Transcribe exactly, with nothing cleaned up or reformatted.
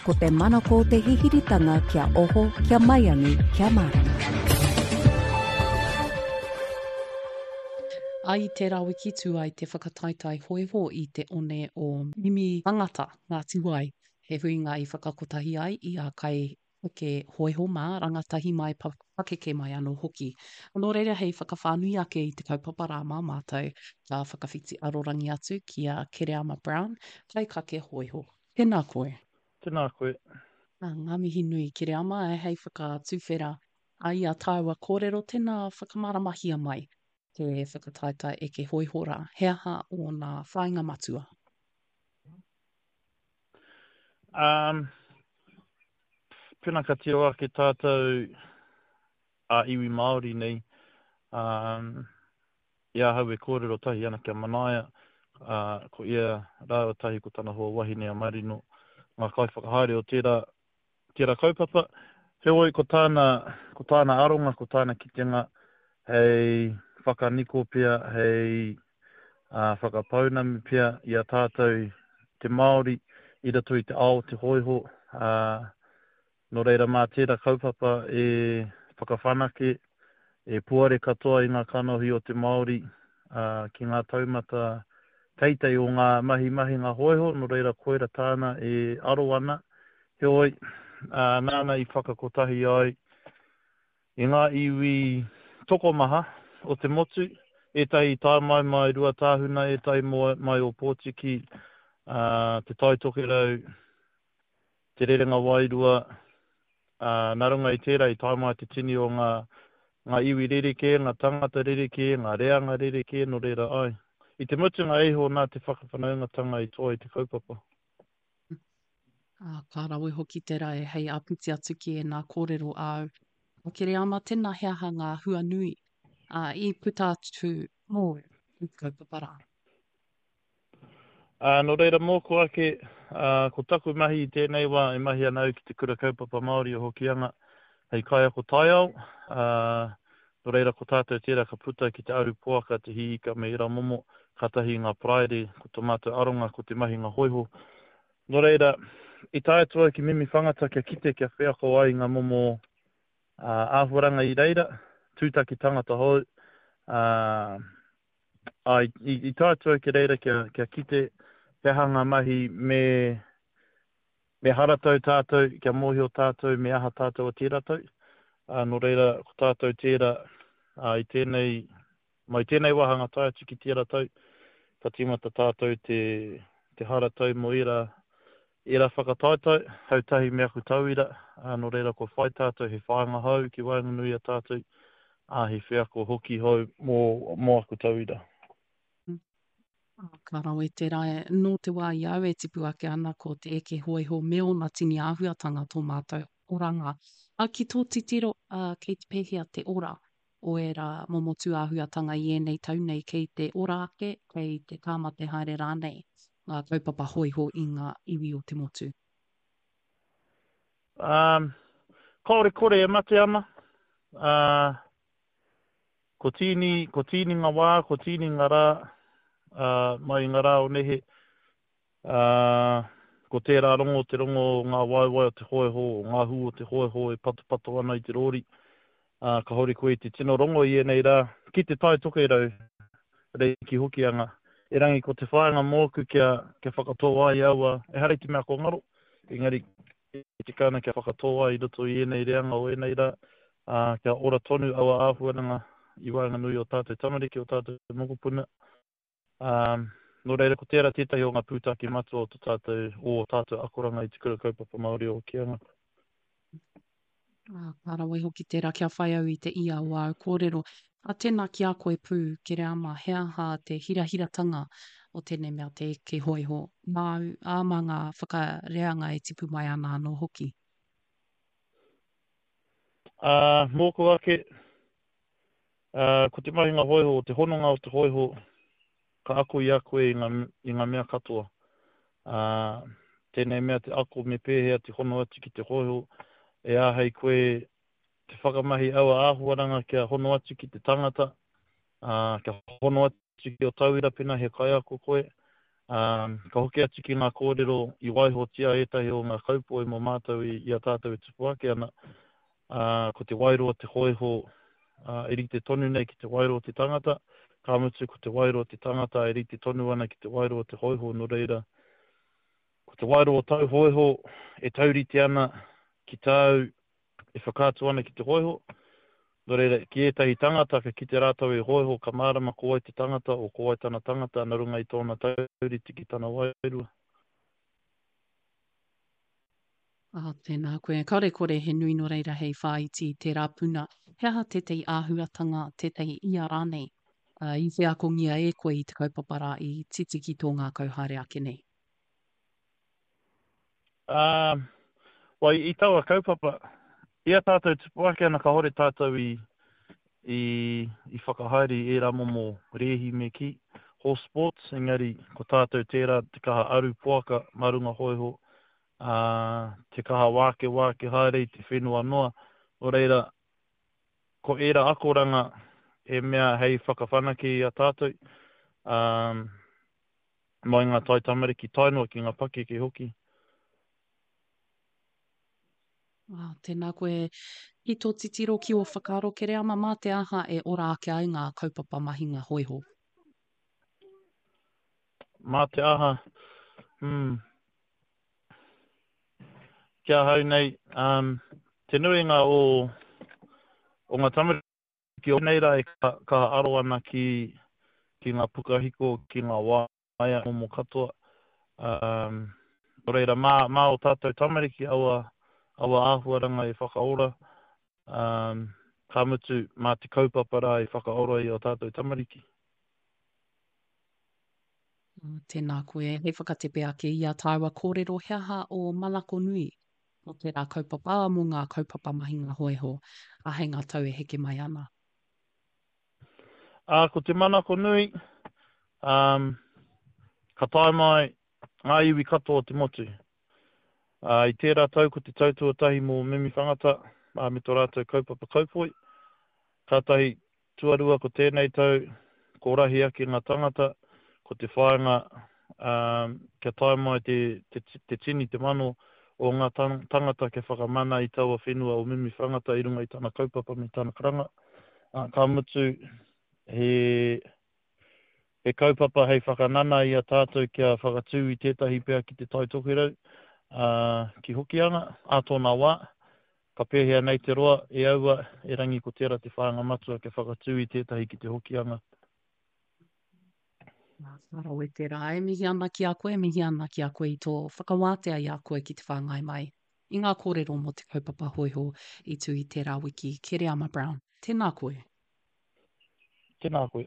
Ko te manako o te hihiritanga kia oho, kia maiangi, kia mārama. I tērā wiki tū ai te whakataetae hōiho i te one o Mimi Tangata, Ngāti Wai, he huinga i whakakotahi ai i a kai eke hōiho mā, rangatahi mai, pakeke mai anō hoki. Nō reira hei whakawhānui ake i te kaupapa rā mā mātou, ka whakawhiti arorangi atu ki a Kereama Brown, kaikake hōiho. Tēnā koe. Tēnā koe. Ā, ngā mihi nui Kereama, hei whakatuwhera i a tāua kōrero, tēnā whakamāramahia mai te whakataetae eke hōiho rā, he aha ōna whāinga matua? Um, pēnā ka tiro ake tātou a iwi Māori nei, um, i ahau e kōrero tahi ana kia Manaia, uh, ko ia rāua tahi ko tana hoa wahine a Marino, ngā kaiwhakahaere o tērā, tērā kaupapa. Heoi, ko tāna, ko tāna aronga, ko tāna kitenga hei whakaniko pea, hei uh, whakapaunamu pea i a tātou te Māori i roto i te ao te hōiho. Uh, nō reira mā tērā kaupapa e whakawhanake, e puare katoa i ngā kanohi o te Māori uh, ki ngā taumata teitei o ngā mahi mahinga hōiho, nō reira koira tāna e aro ana. Heoi, uh, nāna i whakakotahi ai i ngā iwi tokomaha o te motu, ētahi tae mai mai Ruatāhuna, ētahi mai Ōpōtiki, uh, te Tai Tokerau, te Rerenga Wairua, uh, nā runga i tērā i tae mai te tini o ngā, ngā iwi rerekē, ngā tangata rerekē, ngā reanga rerekē, nō reira ai. I te mutunga iho nā te whakawhanaungatanga i toa i te kaupapa. Ā, ka rawe hoki te rae hei āpiti atu ki ēnā kōrero āu. A Kereama, tēnā he aha ngā hua nui ā, i puta atu mōu i te kaupapa rā? Ā, nō reira mōku ake, ā, ko taku mahi i tēnei wā e mahi ana au ki te Kura Kaupapa Māori o Hokianga hei kaiako taiao, ā, nō reira ko tātou tērā ka puta ki te aru poaka, te hī ika me ērā momo, kātahi ngā paraire, ko tō mātou aronga ko te mahinga hōiho. Nō reira, i tae atu au ki Mimi Whangata kia kite kia wheako ai ngā momo uh, āhuaranga i reira, tūtaki tangata hou, uh, ai, i, i tae atu au ki reira kia, kia kite he aha ngā mahi me, me haratau tātou, kia mōhio tātou, me aha tātou o tērā tau. Uh, nō reira, ko tātou tērā uh, i tēnei, mai tēnei wāhanga tae atu ki tērā tau, ka tīmata tātou te, te haratau mō ērā, ērā whakataetae, hau tahi me aku tauira, uh, nō reira ko whai tātou he whāinga hou ki waenganui a tātou, ā, he wheako hoki hou mō, mō aku tauira. Ka rawe te rae, nō te wā i au e tipu ake ana ko te eke hōiho me ōna tini āhuatanga tō mātou oranga. A, ki tō titiro, a, kei te pēhea te ora o ērā momo tūāhuatanga i ēnei tau nei, kei te ora ake, kei te tāmate haere rānei ngā kaupapa hōiho i ngā iwi o te motu? Um, kāore kore e mate ana. Uh, ko tīni, ko tīni ngā wā, ko tīni ngā rā, uh, mai i ngā rā o nehe. Uh, ko tērā rongo, te rongo o ngā waewae o te hōiho, o ngā hū o te hōiho e patopato ana i te rōri. Uh, ka hori koe i te tino rongo i ēnei rā, ki te Tai Tokerau, rei ki Hokianga. Erangi ko te whāinga mōku kia, kia whakatō ai aua, ehara i te mea ko ngaro, engari e tika ana kia whakatō ai i roto i ēnei reanga o ēnei rā, uh, kia ora tonu aua āhuaranga i waenganui o tātou tamariki, o tātou mokopuna. Um, nō reira, ko tērā tētahi o ngā pūtake matua o tō tātou, o tātou akoranga i te Kura Kaupapa Māori o Hokianga. Ah, ka rawe hoki tērā kia whai au i te ia o āu kōrero. A tēnā ki a koe pū, Kereama, he aha te hirahiratanga o tēnei mea te eke hōiho māu, ā, mā ngā whakareanga e tipu mai ana anō hoki? Uh, mōku ake, uh, ko te mahinga hōiho, te hononga o te hōiho, ka ako i a koe i ngā, i ngā mea katoa. Uh, tēnei mea te ako me pēhea te hono atu ki te hōiho, e āhei koe te whakamahi aua āhuaranga kia hono atu ki te tangata, uh, kia hono atu ki o tauira pena he kaiako koe, Um, ka hoki atu ki ngā kōrero i waihotia ētahi o ngā kaupoi mō mātou i, i a tātou e tupu ake ana, uh, ko te wairua te hōiho uh, e rite tonu nei ki te wairua te tangata, ka mutu ko te wairua te tangata e rite tonu ana ki te wairua te hōiho, nō reira, ko te wairua o tau hōiho e taurite ana ki tāu e whakaatu ana ki te hōiho. Nō reira, ki ētahi tangata ka kite rātou e hōiho, ka mārama ko wai te tangata o ko wai tana tangata nā runga i tōna taurite ki tana wairua. Ah, tēnā koe. Kāore kore he nui nō reira hei whāiti i tērā puna. He aha tētahi āhuatanga, tētahi ia rānei, uh, i wheakongia e koe i te kaupapa rā i titi ki tō ngākau haere ake nei? Um, well, i taua kaupapa, i a tātou tupu ake ana kāore tātou i, i, i whakahaere i ērā momo rēhi me kī, horse sports, engari ko tātou tērā te kaha aru poaka mā runga hōiho, uh, te kaha wāke wāke haere i te whenua noa. Nō reira, ko ērā akoranga e mea hei whakawhanake i a tātou, um, mai ngā tai tamariki tae noa ki ngā pakeke hoki. Ah, tēnā koe. Ki tō titiro ki ō whakaaro Kereama, mā te aha e ora ake ai ngā kaupapa mahinga hōiho? Mā te aha, hmm, ki ahau nei, um, te nuinga o, o ngā tamariki o nei rā e ka, ka aro ana ki, ki ngā pukahiko, ki ngā waea momo katoa. Um, nō reira, mā, mā o tātou tamariki aua, aua āhuaranga e whakaora, um, ka mutu mā te kaupapa rā e whakaora i o tātou tamariki. Tēnā koe, hei whakatepe ake i a tāua kōrero he aha o manako nui mō tērā kaupapa, mō ngā kaupapa mahinga hōiho, a hei ngā tau e heke mai ana. Ā, ko te manako nui, um, ka tae mai ngā iwi katoa o te motu. Uh, i tērā tau ko te tau tuatahi mō Mimi Whangata uh, me tō rātou kaupapa kaupoi. Kātahi tuarua ko tēnei tau, ko rahi ake ngā tangata, ko te whāinga um, kia tae mai te, te, te tini, te mano o ngā tangata kia whakamana i taua whenua o Mimi Whangata i runga i tana kaupapa me tana karanga. Uh, ka mutu he, he kaupapa hei whakanana i a tātou kia whakatū i tētahi pea ki te Tai Tokerau, uh, ki Hokianga, ā tōna wā. Ka pēhea nei te roa e aua, e rangi ko tērā te whāinga matua kia whakatū i tētahi ki te Hokianga. Ka rawe tērā. E mihi ana ki a koe, e mihi ana ki a koe i tō whakawātea i a koe ki te whāngai mai i ngā kōrero mō te kaupapa hōiho i tū i tērā wiki. Kereama Brown, tēnā koe. Tēnā koe.